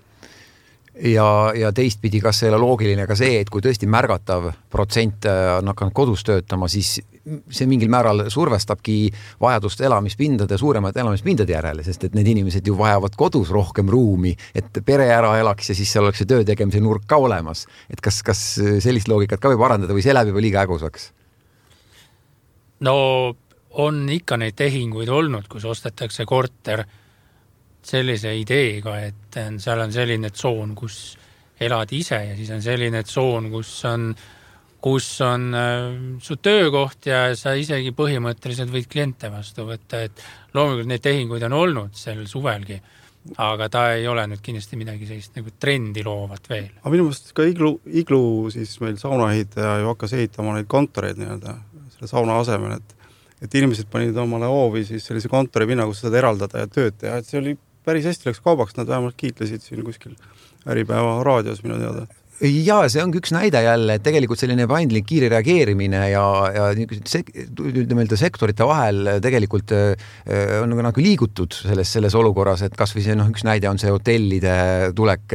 Ja, ja teistpidi, kas see ei ole loogiline ka see, et kui tõesti märgatav protsent on hakanud kodus töötama, siis see mingil määral survestabki vajadust elamispindade, suuremad elamispindade järele, sest et need inimesed ju vajavad kodus rohkem ruumi, et pere ära elaks ja siis seal oleks see töö tegemise nurk ka olemas. Et kas, kas sellist loogikat ka võib arendada või see läheb juba liiga ägusaks? No on ikka neid tehinguid olnud, kus ostetakse korter sellise ideega, et seal on selline tsoon, kus elad ise ja siis on selline tsoon, kus on, kus on äh, su töökoht ja sa isegi põhimõtteliselt võid kliente vastu võtta, et loomulikult neid tehinguid on olnud sel suvelgi, aga ta ei ole nüüd kindlasti midagi sellist nagu trendi loovat veel. Aga minu mõttes ka iglu, iglu siis meil saunaehitaja ju hakkas ehitama neid kontoreid nii-öelda selle sauna asemel, et, et inimesed panid omale hoovi siis sellise kontoripinna, kus saad eraldada ja tööd teha, et see oli päris hästi läks kaubaks, nad vähemalt kiitlesid siin kuskil Äripäeva raadios minu teada. Ja see on üks näide jälle, et tegelikult selline paindlik kiire reageerimine ja, ja sek, sektorite vahel tegelikult on nagu liigutud selles, selles olukorras, et kas või see, no, üks näide on see hotellide tulek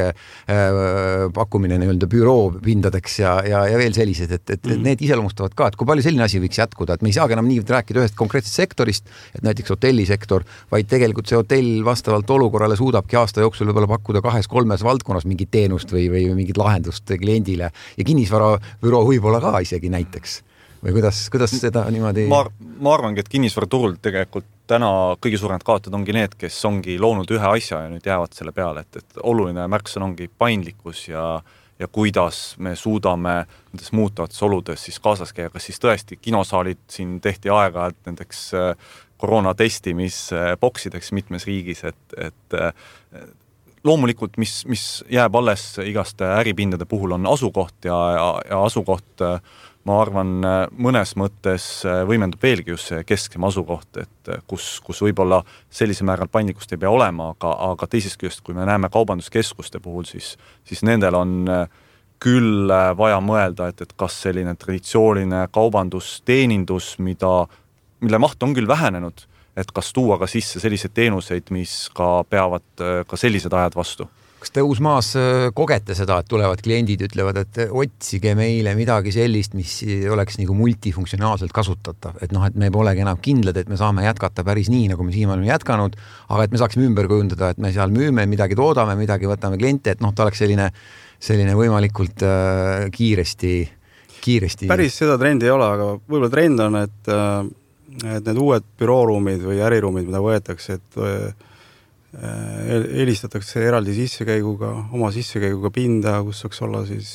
pakkumine nii-öelda büroo pindadeks ja, ja, ja veel sellised, et, et mm. need iseloomustavad ka, et kui palju selline asi võiks jätkuda, et me ei saagi enam nii rääkida ühest konkreetsest sektorist, et näiteks hotellisektor, vaid tegelikult see hotell vastavalt olukorrale suudabki aasta jooksul võib-olla pakkuda kahes-kolmes valdkonnas mingit teenust või, või mingit lahendust kliendile ja kinnisvarabüroo võib-olla ka isegi näiteks. Või kuidas, kuidas seda niimoodi... Ma, ma arvangi, et kinnisvaraturul tegelikult täna kõige suuremad kaotajad ongi need, kes ongi loonud ühe asja ja nüüd jäävad selle peale, et, et oluline märksõna ongi paindlikkus ja, ja kuidas me suudame nendes muutavates oludes siis kaasas käia, kas siis tõesti kinosaalid siin tehti aega, et nendeks koroona testimisboksideks mitmes riigis, et, et loomulikult, mis, mis jääb alles igaste äripindade puhul on asukoht ja, ja, ja asukoht, ma arvan, mõnes mõttes võimendub veelgi just see kesksem asukoht, et kus, kus võib-olla sellise määral paindlikkust ei pea olema, aga, aga teisest küljest, kui me näeme kaubanduskeskuste puhul, siis, siis nendel on küll vaja mõelda, et, et kas selline traditsiooniline kaubandusteenindus, mida, mille maht on küll vähenenud, et kas tuua ka sisse selliseid teenuseid, mis ka peavad ka sellised ajad vastu. Kas te Uusmaas kogete seda, et tulevad kliendid ütlevad, et otsige meile midagi sellist, mis oleks nagu multifunktsionaalselt kasutatav, et noh, et me polegi enam kindlad, et me saame jätkata päris nii, nagu me siin oleme jätkanud, aga et me saaksime ümber kujundada, et me seal müüme, midagi toodame, midagi võtame kliente, et noh, ta oleks selline, selline võimalikult äh, kiiresti, kiiresti. Päris seda trendi ei ole, aga võib-olla trend on, et äh, et need uued bürooruumid või äriruumid, mida võetakse, et helistatakse eraldi sissekäiguga, oma sissekäiguga pinda, kus saaks olla siis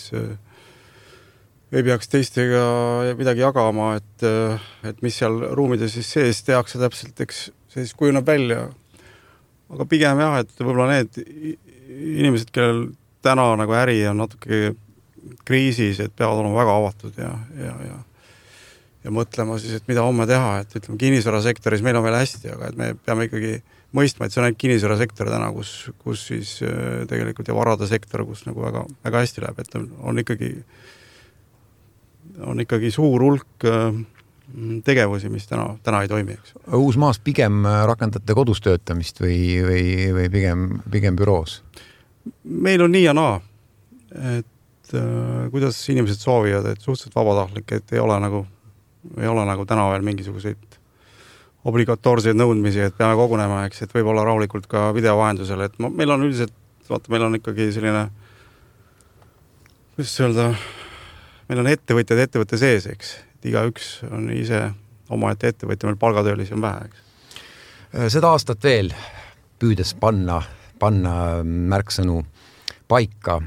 ei peaks teistega midagi jagama, et, et mis seal ruumides siis sees tehakse täpselt, eks see siis kujuneb välja. Aga pigem jah, et võib-olla need inimesed, kellel täna nagu äri on natuke kriisis, et peavad olema väga avatud ja, ja, ja ja mõtlema siis, et mida homme teha, et ütleme, kinnisvarasektoris meil on veel hästi, aga et me peame ikkagi mõistma, et see on ainult kinnisvarasektor täna, kus, kus siis tegelikult ja varade sektor, kus nagu väga, väga hästi läheb, et on ikkagi, on ikkagi suur hulk tegevusi, mis täna, täna ei toimi. Eks. Uusmaas pigem rakendate kodus töötamist või, või, või pigem, pigem büroos? Meil on nii ja naa, et äh, kuidas inimesed soovivad, et suhteliselt vabatahtlik, et ei ole nagu, ei ole nagu täna veel mingisuguseid obligatoorseid nõudmisi, et peame kogunema, eks, et võib olla rahulikult ka videovahendusel, et ma, meil on üldiselt, vaata, meil on ikkagi selline, kuidas öelda, meil on ettevõtjad ettevõtte sees, eks, et iga üks on ise omaette ettevõtja, meil palgatöölisi on vähe, eks. Seda aastat veel püüdes panna, panna märksõnu paika,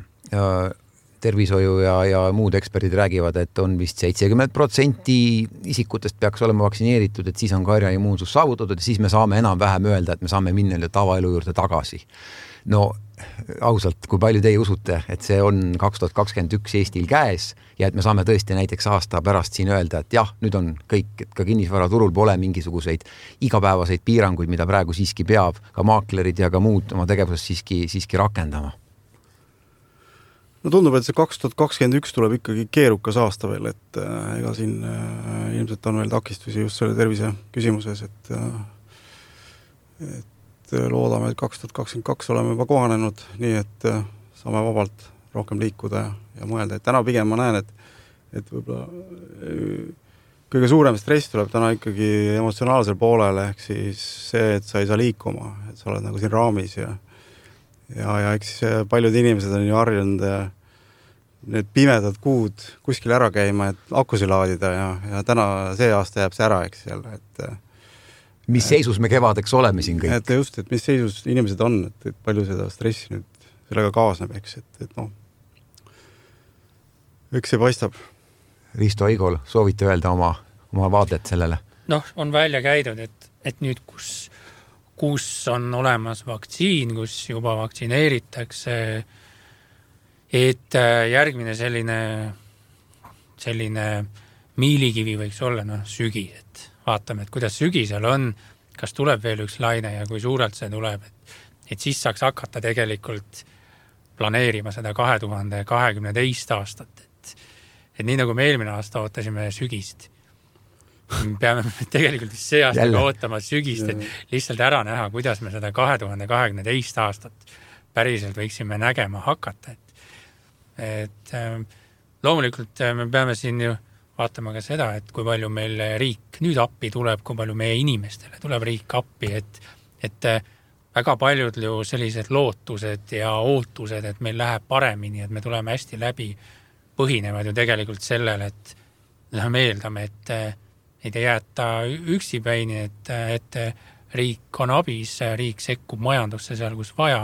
tervishoiu ja, ja muud eksperdid räägivad, et on vist seitsekümmend protsenti isikutest peaks olema vaktsineeritud, et siis on karjaimmuunsus saavutatud ja siis me saame enam-vähem öelda, et me saame minna tavaelu juurde tagasi. No ausalt, kui palju teie usute, et see on kaks tuhat kakskümmend üks Eestil käes ja et me saame tõesti näiteks aasta pärast siin öelda, et jah, nüüd on kõik, et ka kinnisvaraturul pole mingisuguseid igapäevaseid piiranguid, mida praegu siiski peab ka maaklerid ja ka muud oma tegevuses siiski, siiski rakendama. No tundub, et see kaks tuhat kakskümmend üks tuleb ikkagi keerukas aasta veel, et äh, ega siin äh, ilmselt on veel takistusi just selle tervise küsimuses, et, äh, et loodame, et kaks tuhat kakskümmend kaks oleme juba kohanenud, nii et äh, saame vabalt rohkem liikuda ja, ja mõelda, et täna pigem ma näen, et, et võib-olla äh, kõige suurem stress tuleb täna ikkagi emotsionaalsel poolel, ehk siis see, et sa ei saa liikuma, et sa oled nagu siin raamis ja Ja, ja eks paljud inimesed on ju harjunud need pimedad kuud kuskil ära käima, et akusi laadida ja, ja täna see aasta jääb see ära, eks jälle, et mis seisus me kevadeks oleme siin kõik? Et just, et mis seisus inimesed on, et, et palju seda stressi nüüd sellega kaasneb, eks, et, et noh, eks see paistab. Risto Aigol, soovite öelda oma, oma vaadet sellele? Noh, on välja käidud, et, et nüüd, kus kus on olemas vaktsiin, kus juba vaktsineeritakse, et järgmine selline, selline miilikivi võiks olla no, sügis, et vaatame, et kuidas sügisel on, kas tuleb veel üks laine ja kui suurelt see tuleb, et, et siis saaks hakata tegelikult planeerima seda kahe tuhande kahekümne teist aastat, et, et nii nagu me eelmine aasta ootasime sügist, peame tegelikult see aasta ootama sügist, et lihtsalt ära näha, kuidas me seda kahe tuhande kahekümne teist aastat päriselt võiksime nägema hakata. Et, et loomulikult me peame siin ju vaatama ka seda, et kui palju meil riik nüüd appi tuleb, kui palju meie inimestele tuleb riik appi, et, et väga paljud ju sellised lootused ja ootused, et meil läheb paremini, et me tuleme hästi läbi, põhinevad ju tegelikult sellele, et me eeldame, et et ei jäeta üksipäini, et, et riik on abis, riik sekkub majandusse seal, kus vaja,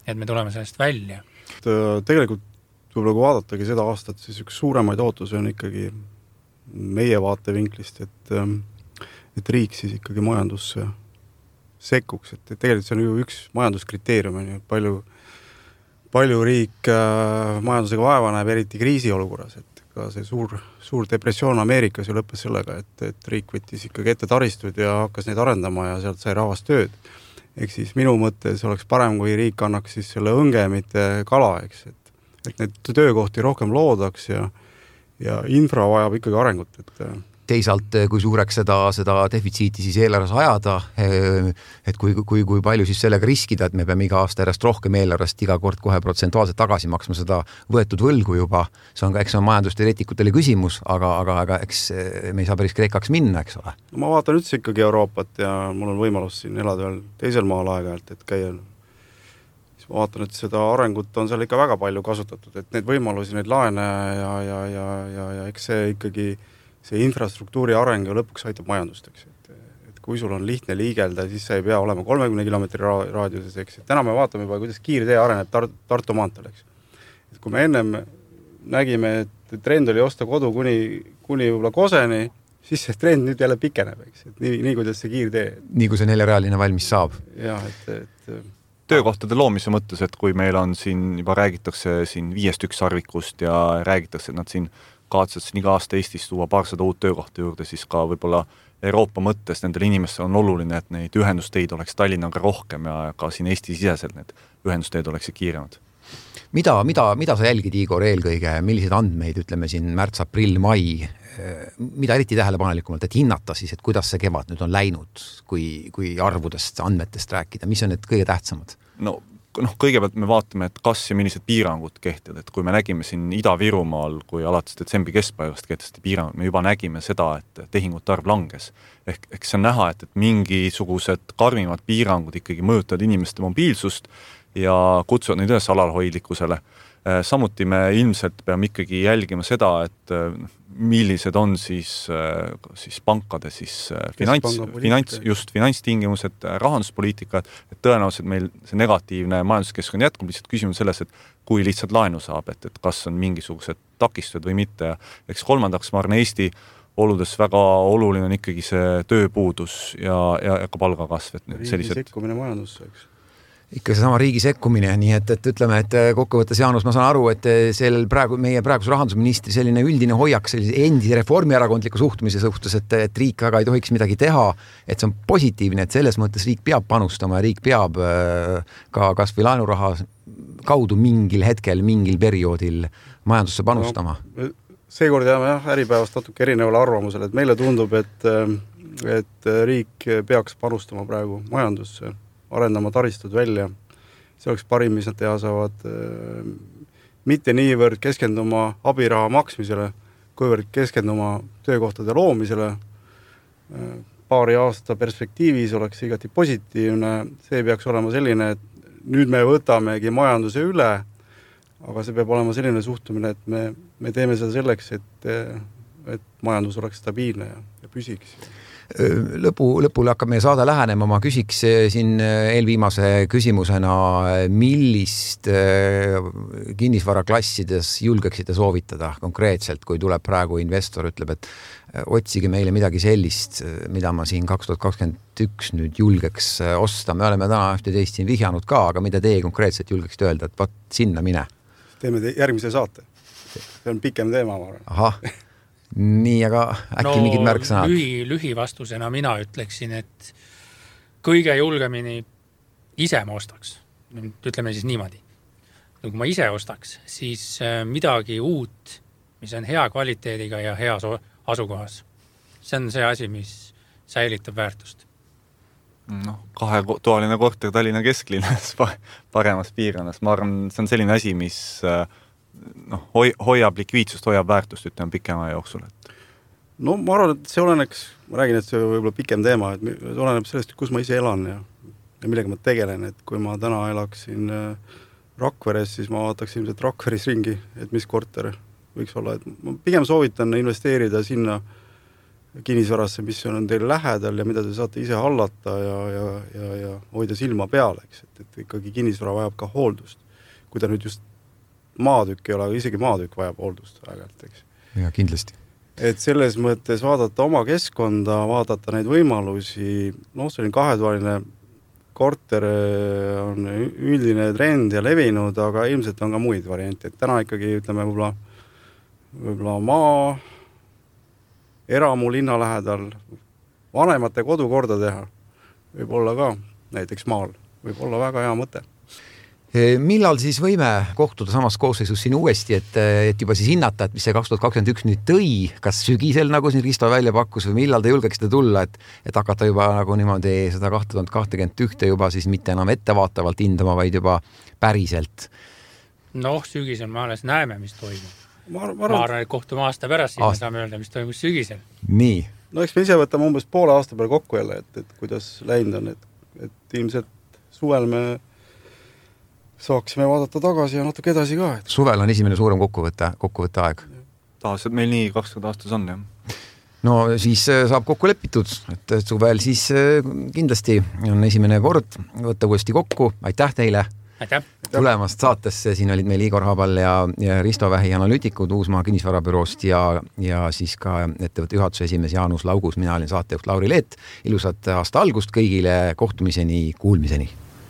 et me tuleme sellest välja. Tegelikult võib-olla kui vaadatagi seda aastat, siis üks suuremaid ootusi on ikkagi meie vaatevinklist, et, et riik siis ikkagi majandusse sekkuks, et tegelikult see on ju üks majanduskriteerium, on ju, palju, palju riik majandusega vaeva näeb, eriti kriisiolukorras, et ka see suur, suur depressioon Ameerikas ju lõppes sellega, et, et riik võttis ikkagi ette taristud ja hakkas neid arendama ja sealt sai rahvast tööd. Ehk siis minu mõttes oleks parem, kui riik annaks siis selle õnge, mitte kala, eks, et, et need töökohti rohkem loodaks ja, ja infra vajab ikkagi arengut, et teisalt, kui suureks seda, seda defitsiiti siis eelarves ajada, et kui, kui, kui palju siis sellega riskida, et me peame iga aasta järjest rohkem eelarvest iga kord kohe protsentuaalselt tagasi maksma seda võetud võlgu juba. See on ka, eks on majandusteoreetikutele küsimus, aga, aga, aga eks me ei saa päris Kreekaks minna, eks ole. Ma vaatan üldse ikkagi Euroopat ja mul on võimalus siin elada veel teisel maal aega-ajalt, et käia. Ma vaatan, et seda arengut on seal ikka väga palju kasutatud, et need võimalusi, need laene ja, ja, ja, ja, ja eks see ikkagi see infrastruktuuri areng ja lõpuks aitab majandust, eks. Et, et kui sul on lihtne liigelda, siis sa ei pea olema kolmekümne kilomeetri raadiuses, eks. Et täna me vaatame juba, kuidas kiirtee areneb Tar- Tartu maanteel, eks. Et kui me ennem nägime, et trend oli osta kodu kuni, kuni võib-olla Koseni, siis see trend nüüd jälle pikeneb, eks. Et nii, nii kuidas see kiirtee. Nii kui see neljarealine valmis saab. Jah, et, et töökohtade loomise mõttes, et kui meil on siin juba räägitakse siin viiest üks sarvikust ja räägitakse, et nad siin kavatsetakse iga aasta Eestis tuua paarsada uut töökohta juurde, siis ka võib-olla Euroopa mõttes nendel inimestel on oluline, et neid ühendusteid oleks Tallinnaga rohkem ja ka siin Eesti siseselt need ühendusteed oleksid kiiremad. Mida, mida, mida sa jälgid, Igor, eelkõige, milliseid andmeid, ütleme siin märts, aprill, mai, mida eriti tähelepanelikumalt, et hinnata siis, et kuidas see kevad nüüd on läinud, kui, kui arvudest, andmetest rääkida, mis on need kõige tähtsamad? No, noh, kõigepealt me vaatame, et kas ja millised piirangud kehtivad, et kui me nägime siin Ida-Virumaal, kui alates detsembri keskpäevast kehtesti piirangud, me juba nägime seda, et tehingute arv langes. Ehk, ehk see on näha, et, et mingisugused karmimad piirangud ikkagi mõjutavad inimeste mobiilsust ja kutsuvad neid üles alalhoidlikkusele. Samuti me ilmselt peame ikkagi jälgima seda, et millised on siis, siis pankade siis finants, finants, just finantstingimused, rahanduspoliitika, et tõenäoliselt meil see negatiivne majanduskeskkond jätkub, lihtsalt küsimus selles, et kui lihtsalt laenu saab, et, et kas on mingisugused takistused või mitte. Eks kolmandaks, ma arvan, Eesti oludes väga oluline on ikkagi see tööpuudus ja, ja, ja ka palgakasv. Et riigi sellised... sekkumine majandusse, eks. Ikka see sama riigi sekkumine, nii et, et ütleme, et kokkuvõttes Jaanus, ma saan aru, et sel praegu, meie praeguse rahandusministri selline üldine hoiak sellise endise reformierakondliku suhtumise suhtes, et, et riik väga ei tohiks midagi teha, et see on positiivne, et selles mõttes riik peab panustama ja riik peab ka kas või laenuraha kaudu mingil hetkel, mingil perioodil majandusse panustama. No, seekord jääme jah, äripäevast natuke erinevale arvamusele, et meile tundub, et, et riik peaks panustama praegu majandusse, arendama taristud välja. See oleks parim, mis nad teha saavad. Mitte niivõrd keskenduma abiraha maksmisele, kuivõrd keskenduma töökohtade loomisele. Paari aasta perspektiivis oleks igati positiivne. See peaks olema selline, et nüüd me võtamegi majanduse üle, aga see peab olema selline suhtumine, et me, me teeme seda selleks, et, et majandus oleks stabiilne ja, ja püsiks. Lõpu, lõpule hakkab meie saade lähenema, ma küsiks siin eelviimase küsimusena, millist kinnisvaraklassides julgeksite soovitada konkreetselt, kui tuleb praegu investor, ütleb, et otsige meile midagi sellist, mida ma siin kaks tuhat kakskümmend üks nüüd julgeks osta. Me oleme täna ühte teist siin vihjanud ka, aga mida teie konkreetselt julgeksite öelda, et vaat sinna mine? Teeme te järgmise saate. See on pikem teema, ma arvan. Ahah. Nii, aga äkki no, mingid märksõnad? Lühi, lühi vastusena mina ütleksin, et kõige julgemini ise ma ostaks. Ütleme siis niimoodi. Kui ma ise ostaks, siis midagi uut, mis on hea kvaliteediga ja hea asukohas. See on see asi, mis säilitab väärtust. No, kahetoaline korter Tallinna kesklinnas paremas piirkonnas. Ma arvan, see on selline asi, mis no, hoiab likviidsust, hoiab väärtust, ütleme pikema jooksul. No ma arvan, et see oleneks, ma räägin, et see võib-olla pikem teema, et see oleneb sellest, kus ma ise elan ja, ja millega ma tegelen, et kui ma täna elaksin Rakveres, siis ma vaataks ilmselt Rakveris ringi, et mis korter võiks olla, et ma pigem soovitan investeerida sinna kinnisvarasse, mis on teil lähedal ja mida te saate ise hallata ja, ja, ja, ja hoida silma peal, eks, et, et ikkagi kinnisvara vajab ka hooldust. Kui ta nüüd just maatükk ei ole, aga isegi maatükk vajab hooldust vägelt, eks. Ja kindlasti. Et selles mõttes vaadata oma keskkonda, vaadata neid võimalusi, noh, see on kahetoaline korter on üldine trend ja levinud, aga ilmselt on ka muid variante. Et täna ikkagi, ütleme, võib-olla, võib-olla maa, eramu linna lähedal, vanemate kodu korda teha, võib olla ka näiteks maal, võib olla väga hea mõte. Millal siis võime kohtuda samas koosseisus siin uuesti, et, et juba siis hinnata, et mis see kaks tuhat kakskümmend üks nüüd tõi, kas sügisel, nagu siin Risto välja pakkus, või millal te julgeksite tulla, et, et hakata juba nagu niimoodi seda kaks tuhat kakskümmend üks juba siis mitte enam ettevaatavalt hindama, vaid juba päriselt? Noh, sügisel me alles näeme, mis toimub. Ma, ma arvan, et kohtume aasta pärast, siis aasta. Me saame öelda, mis toimus sügisel. Nii. No eks me ise võtame umbes poole aasta peale kokku jälle, et, et kuidas läinud on, et, et ilmselt suvel me saaksime vaadata tagasi ja natuke edasi ka. Et... Suvel on esimene suurem kokkuvõtte, kokkuvõtte aeg. Tahas, et meil nii kakskümmend aastas on, jah. No siis saab kokku lepitud, et suvel siis kindlasti on esimene kord võtta uuesti kokku. Aitäh teile! Aitäh! Tulemast saatesse, siin olid meil Igor Habal ja, ja Risto Vähi analüütikud Uusmaa kinnisvarabüroost ja, ja siis ka ettevõtte juhatuse esimees Jaanus Laugus, mina olin saatejuht Lauri Leet. Ilusat aasta algust kõigile, kohtumiseni, kuulmiseni!